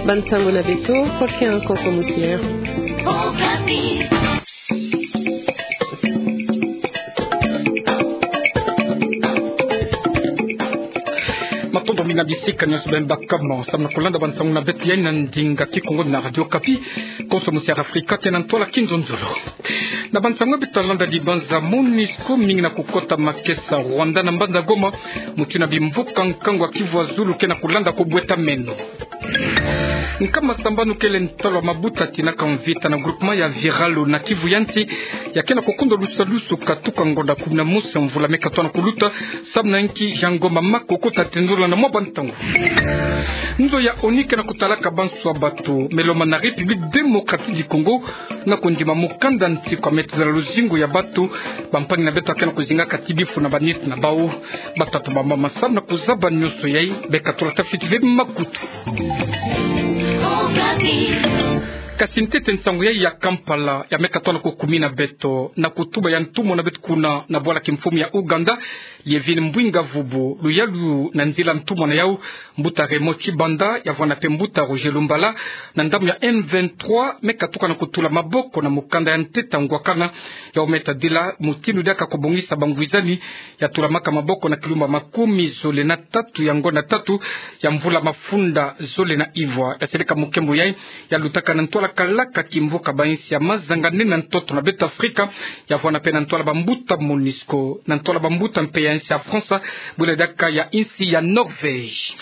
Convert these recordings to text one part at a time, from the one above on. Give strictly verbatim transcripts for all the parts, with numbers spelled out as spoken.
Bansango na beto, Paul Ken Konso Mosier. Matondo mingi na bisika nyonso beno baka mo, samu na kulanda bansango na beto ya ndinga Kikongo na Radio Okapi. Konso Mosier Afrika, tena ntwala kinzonzolo. Na bansango beto talanda, dibanza MONUSCO mingi na kukota makesa Rwanda na mbanza Goma, mutindu na bimvuka nkangu ya Kivu ya Zulu ke na kulanda kobweta meno. Nkama sambanu kele ntalo ya mabuta tinaka mvita na groupement ya Viralo na Kivu ya Nsi, ya ke na kukondo lusalusu katuka ngonda kumi na mosi ya mvula me katoto na kuluta, samu na inki? Jean Ngoma Makoko ta tendula na mwa bantangu. Nzo ya ONU ke na kutalaka banso ya bato me lomba na République Démocratique du Congo na kondima mokanda nti kwa metela luzingu ya bato, bampangi na beto ya ke na kozingaka ti bifu na baneti na bawu. Batata, bamama, samu na kuzaba nyonso yayi, beka tula ta fiti ve makutu. Kasi ntete nsangu yayi ya Kampala ya me katoto na kukumi na beto, na kutuba ya ntumwa na beto kuna na bwala kimfumu ya Ouganda, Yoweri Kaguta Museveni, luyalu na nzila ntumwa na yawu, mbuta Raymond Tshibanda, ya vwanda mpe mbuta Roger Lumbala, na ndambu ya M vingt-trois, me katuka na kutula maboko na mokanda ya ntete ya ngwakana, yawu me tadila mutindu diaka kobongisa bangwizani, ya tulamaka maboko na kilumba makumi zole na tatu ya ngonda tatu ya mvula mafunda zole na ivwa. Ya seleka mukembo yayi, ya lutaka na ntwala kalaka kimvuka bansi ya mazanga nene na ntoto na beto Afrika, ya vwanda mpe na ntwala bambuta MONUSCO, na ntwala bambuta mpe ya nsi ya France, bula diaka ya nsi ya Norvège.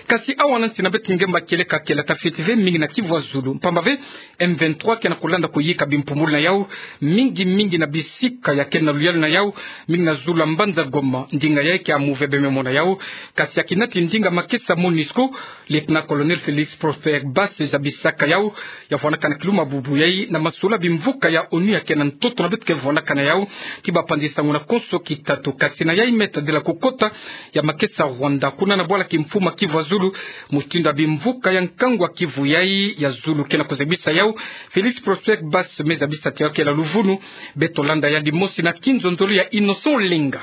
Kasi awa na nsi na beto ngemba kieleka kele ta fiti ve mingi na Kivu ya Zulu. Mpamba ve, M vingt-trois ke na kulanda kuyika bimpumbulu na yawu, mingi mingi na bisika ya ke na luyalu na yawu, mingi na zulu ya mbanza Goma, ndinga yayi ke ya move bememo na yawu. Kasi ya kinati ndinga makesa MONUSCO, Lieutenant-colonel Félix Prosper Basse zabisaka yawu, ya vwandaka na kilumba bubu yayi, na masola bimvuka ya ONU ya ke na ntoto na beto ke vwandaka na yawu, ti bapanzi sango na konso kitatu. Kasi na yayi me tadila kukota ya makesa Rwanda kuna na bwala kimfumu ya Kivu ya Zulu, mutindu ya bimvuka ya nkangu ya Kivu yayi ya Zulu ke na kuzabisa yawu, Félix Prosper Basse me zabisa ti yawu kele luvunu. Beto landa yandi mosi na kinzonzolo ya Innocent Olenga.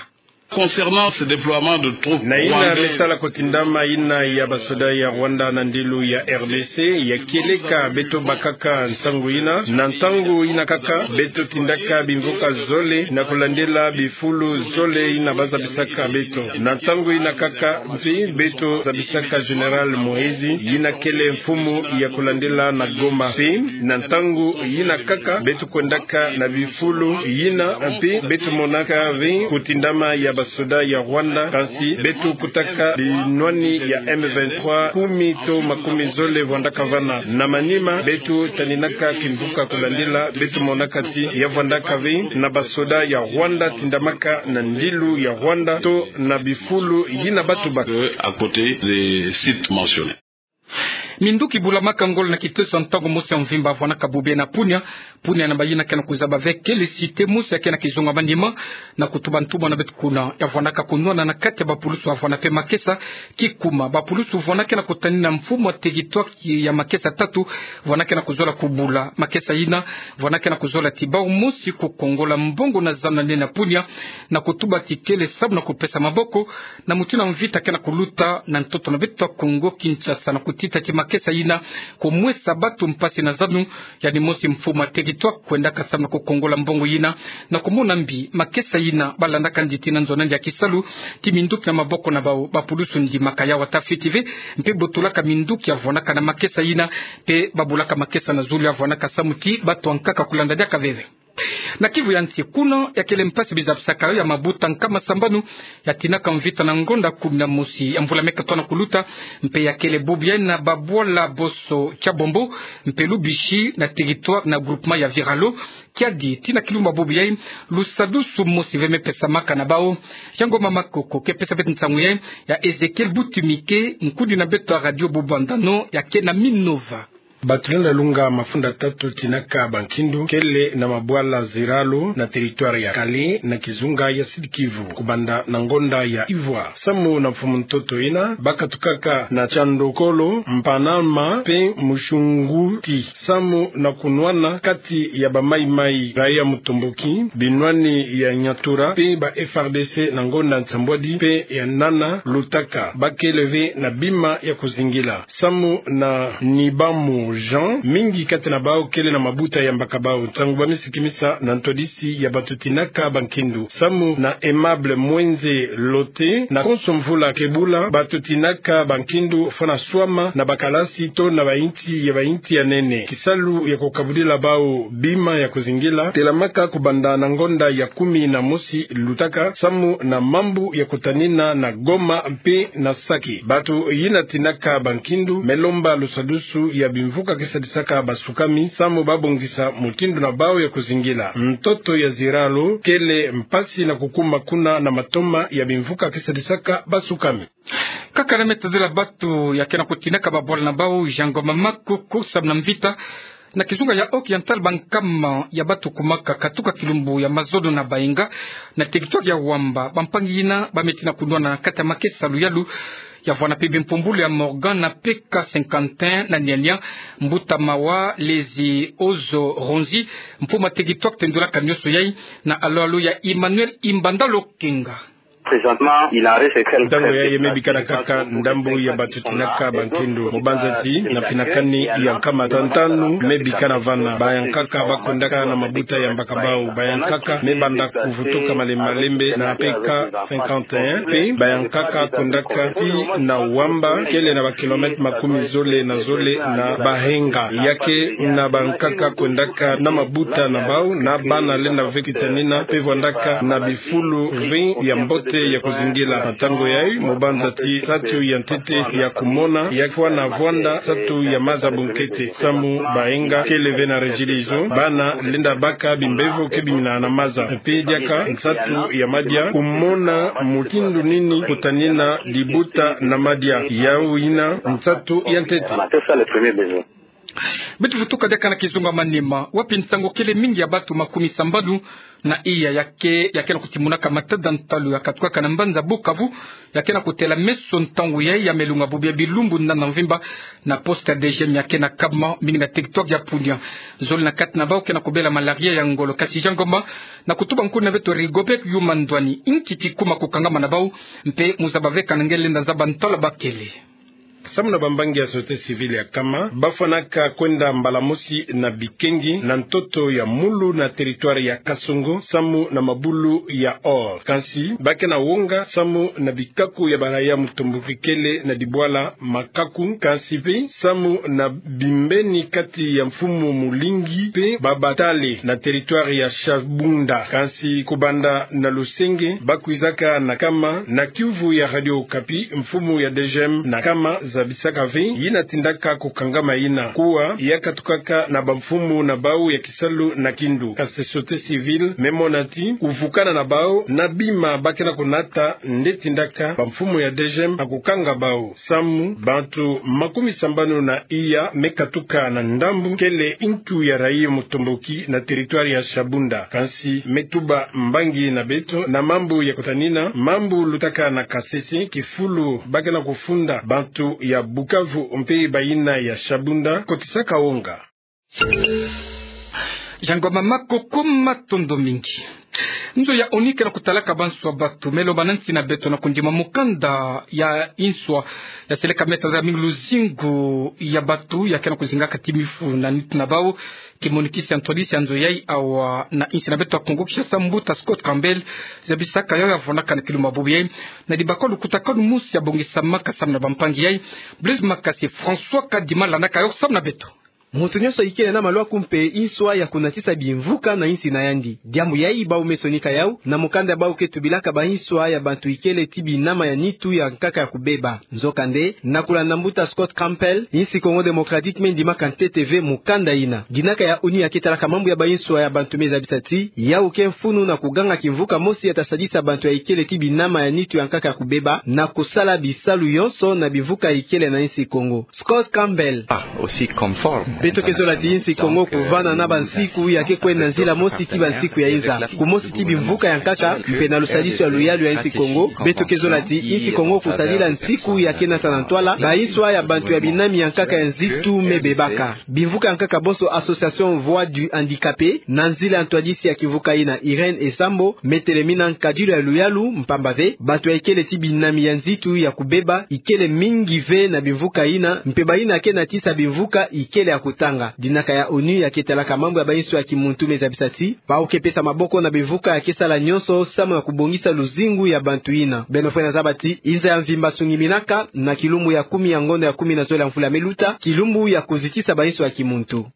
Concernant ce déploiement de troupes rwandaises, na yina me sala kotindama yina ya basoda ya Rwanda na ndilu ya R D C, ya kieleka beto bakaka nsangu yina. Na ntangu yina kaka, beto tindaka bimvuka zole na kulandila bifulu zole yina bazabisaka beto. Na ntangu yina kaka mpe beto zabisaka Général Muhoozi, yina kele mfumu ya kulandila na Goma. Mpe na ntangu yina kaka, beto kwendaka na bifulu yina, mpe beto monaka ve kotindama ya basoda ya Rwanda, kansi beto kutaka binwani ya M vingt-trois kumi to makumi zole vwandaka vana. Na manima, beto taninaka kimvuka kulandila, beto monaka ti ya vwandaka ve na basoda ya Rwanda tindamaka na ndilu ya Rwanda to na bifulu yina bato baka. Euh, à côté des sites mentionnés. Minduki bulamaka ngolo na kiteso ya ntangu mosi ya mvimba vwanaka bubu na Punia. Punia na bayina ke na kuzaba ve kele cité mosi ya ke na kizonga manima, na kutuba ntumwa na beto kuna, ya vwanaka kunwana na kati ya bapulusu ya vwana mpe makesa kikuma. Bapulusu vwana ke na kutanina mfumu ya territoire ya makesa tatu, vwana ke na kuzola kubula makesa yina, vwana ke na kuzola ti bawu mosi kukongola mbongo na zanu na nene ya Punia, na kutuba ti kele sabu na kupesa maboko na mutindu ya mvita ke na kuluta na ntoto na beto Kongo Kinshasa, na kutita ti makesa yina kumwesa bato mpasi na zanu. Yandi mosi mfumu ya territoire kwendaka samu na kukongola mbongo yina, na kumona mbi makesa yina balandaka nditi na nzo na yandi ya kisalu, ti minduki na maboko na bawu. Bapulusu ndimaka yawu ata fiti ve, mpe botolaka minduki ya vwanaka na makesa yina, mpe babulaka makesa na zulu ya vwanaka samu ti bato ya nkaka kulanda diaka veve. Na Kivu ya nsi kuna, ya kele mpasi bizabisaka yo ya mabuta nkama sambanu ya tinaka mvita na ngonda kumi na mosi ya mvula me katoto na kuluta, mpe ya kele bubu yayi na babwala boso tia Bombo mpe Lubisi na territoire na groupement ya Viralo. Kiadi ti na kilumba bubu yayi, lusadusu mosi ve me pesamaka na bawu. Jean Ngoma Makoko ke pesa beto nsangu yayi, ya Ezechiel Butimike, nkudi na beto ya radio Bubanza no, ya ke na Minova. Bato lenda lunga mafunda tatu tinaka bankindu kele na mabwala ziralo na territoire ya Kale na kizunga ya Sud-Kivu, kubanda na ngonda ya ivwa samu na mfumu ntoto ina, bakatukaka na Tiandokolo, Mpanama pe Mushunguti, samu na kunwana kati ya ba Mai-Mai, raia Mutomboki, binwani ya Nyatura pe ba F R D C na ngonda nsambwadi pe ya nana lutaka, bakele ve na bima ya kuzingila. Samu na Nibamu Jean, mingi kati na bau kele na mabuta ya mbaka bau, ntangu bamisikimisa na ntwadisi ya bato tinaka bankindu. Samu na Aimable Mwenze Lote, na konso mvula ke bula, bato tinaka bankindu fwana swama na bakalasi to na bainti ya bainti ya nene. Kisalu ya kukabudila bau bima ya kuzingila telamaka kubanda na ngonda ya kumi na mosi lutaka, samu na mambu ya kutanina na Goma mpe na Sake. Bato yina tinaka bankindu me lomba lusadusu ya bimvuka ke sadisaka basukami, samu babongisa mutindu na bau ya kuzingila. Ntoto ya ziralo kele mpasi na kukuma kuna na matoma ya bimvuka ke sadisaka basukami. Kaka na me tadila bato ya ke na kutinaka babwala na bau, Jean Ngoma Makuku, samu na mvita na kizunga ya Oriental, bankama ya bato kumaka katuka kilumbu ya mazono na Baenga, na territoire ya Wamba. Bampangi yina ba me ti na kunwana na kati ya makesa luyalu ya vwanda pe bimpumbulu ya Morgan na P K cinquante et un na niania, mbuta mawa Lezi Ozo Ronzi, mpuma territoire tendulaka nioso yai, na alo-alo ya Emmanuel Imbanda Lokenga. Ntangu yayi me bikana kaka ndambu ya bato tinaka bankindu. Mu banza ti na finakani ya nkama tantanu me bikana vana. Bayankaka bakwendaka na mabuta ya mbaka bau. Bayankaka me banda kuvutuka malembe-malembe na P K cinquante et un, pe bayankaka kwendaka ti na Wamba, kele na ba kilomètre makumi zole na zole na Baenga. Ya ke na bankaka kwendaka na mabuta na bau, na bana lenda ve kitanina, pe vwandaka na bifulu ve ya mbote ya kuzingila. Na ntangu yayi, mu banza ti nsatu ya ntete ya kumona, ya fwana vwanda nsatu ya maza bunkete. Samu Baenga kele ve na Regideso, bana lenda baka bimbevo ke bimina na maza. Mpe diaka nsatu ya madia, kumona mutindu nini kutanina dibuta na madia. Yawu yina nsatu ya ntete. Beto vutuka diaka na kizunga Maniema, wapi nsangu kele mingi ya bato makumi sambanu na iya ya ke, ya ke na kutimunaka matada ntalu ya katukaka na mbanza Bukavu, ya ke na kutela meso ntangu yayi ya me lunga bubu ya bilumbu nana mvimba na poste ya D G M ya ke na Kama, mingi na territoire ya Punia. Zole na kati na bau ke na kubela malaria ya ngolo. Kasi Jean Ngoma, na kutuba nkuna beto Rigobert Yuma Ndwani, inki kikuma kukangama na bau, mpe mu zaba ve kana nge lenda zaba ntala bakele. Samu na bambangi ya société civile ya Kama, bafwanaka kwenda mbala mosi na bikengi na ntoto ya Mulu na territoire ya Kasongo, samu na mabulu ya or. Kansi ba ke na wonga samu na bikaku ya baraya Mutomboki kele na dibwala makaku, kansi mpe samu na bimbeni kati ya mfumu Mulingi mpe Babatale na territoire ya Shabunda. Kansi kubanda na Lusenge, bakwizaka na Kama, na kiuvu ya Radio Okapi, mfumu ya D G M na Kama zabisaka ve yina tindaka kukangama yina. Kuwa ya katukaka na bamfumu na bau ya kisalu na kindu. Kasi société civile me mona ti kuvukana na bau na bima ba ke na kunata nde tindaka bamfumu ya D G M na kukanga bau. Samu bantu makumi sambanu na iya me katuka na ndambu kele ntu ya rayi Mutomboki na territoire ya Shabunda. Kansi me tuba mbangi na beto na mambu ya kutanina mambu lutaka na Kasese, kifulu ba ke na kufunda bantu ya Bukavu mpe bayina ya Shabunda kotisaka wonga. Jean Ngoma Makuku, matondo mingi. Nzo ya ONU ke na kutalaka banswa bato me lomba na nsi na beto na kundima mukanda ya inswa ya seleka meta za mingi luzingu ya bato ya ke na kuzingaka ti mifu na nitu na bau. Kimonikisi ya ntwadisi ya nzo yayi awa na insi na beto ya Kongo Kinshasa, mbuta Scott Campbell zabisaka yawu ya vwandaka na kilumbu ya bubu yayi na dibaka lukutakanu mosi ya bongisamaka samu na bampangi yayi. Blaise Makasi, François Kadima landaka yawu samu na beto. Muntu nyonso ikele na malwaku mpe nswa ya kunatisa bimvuka na insi na yandi. Diambu yayi bau me sonika yau na mukanda bau ke tubilaka ba nswa ya bantu ikele ti binama ya nitu ya nkaka ya kubeba. Nzokande, na kulanda mbuta Scott Campbell, insi Congo Démocratique me ndimaka ntete ve mukanda ina. Dinaka ya ONU ya ke talaka mambu ya ba nswa ya bantu me zabisa ti yau ke mfunu na kuganga kimvuka mosi ya ta sadisa bantu ya ikele ti binama ya nitu ya nkaka ya kubeba na kusala bisalu yonso na bimvuka ikele na insi Congo. Scott Campbell. Beto ke zola ti insi Kongo kuvana na bansiku ya ke kwenda nzila mosi ti bansiku ya inza. Kumosi ti bimvuka ya nkaka, mpe na lusadisu ya luyalu ya insi Kongo, beto ke zola ti insi Kongo kusadila nsiku ya ke nata na ntwala, ba nswa ya bantu ya binami ya nkaka ya nzitu me bebaka. Bimvuka ya nkaka bonso Association Voix du Handicapé, na nzila ya ntwadisi ya kimvuka ina Irène Esambo, me telemina nkadilu ya luyalu, mpamba ve, bantu ya ikele ti binami ya nzitu ya kubeba, ikele mingi ve na bimvuka ina, mpe bayina ke natisa bimvuka ikele ya kutanga. Dinaka ya ONU ya ke talaka mambu ya ba nswa ya kimuntu me zabisa ti, bau ke pesa maboko na bimvuka ya ke sala nyonso, samu na kubongisa luzingu ya bantu ina. Beno fwene zaba ti, inza ya mvimba sungiminaka, na kilumbu ya kumi ya ngonda ya kumi na zole ya mvula me luta, kilumbu ya kuzitisa ba nswa ya kimuntu.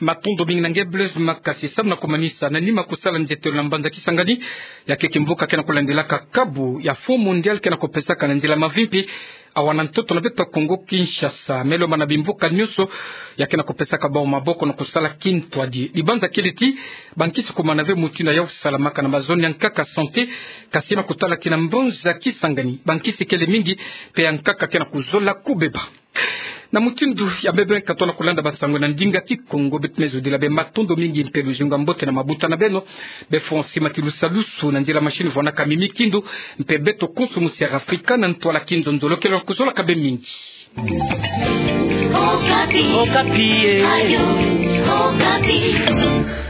Matondo mingi na nge Blaise Makasi. Samu na kumanisa, na nima kusala nzietelo na mbanza Kisangani, ya ke kimvuka ke na kulandilaka kabu ya Fonds Mondial ke na kupesaka na nzila mavimpi, awa na ntoto na beto Kongo Kinshasa. Me lomba na bimvuka nyonso ya ke na kupesaka bau maboko na kusala kintwadi. Libanza kele ti, bankisi kumana ve mutindu ya salamaka na ba zone ya nkaka santé, kasi na kutala kina mbanza Kisangani, bankisi kele mingi, mpe ya nkaka ke na kuzola kubeba. Na mutindu ya mbe beno kato na kulanda ba nsangu na ndinga Kikongo, beto me zodila beno matondo mingi mpe luzingu ya mbote na mabuta na beno. Be Francis Matilusa Lusu na nzila machine vwanaka Mimi Kindu, mpe beto konso musi ya Afrika na ntwala kinzonzolo, ke lona kuzolaka beno mingi. Okapi. Okapi, eh. Ayo, Okapi.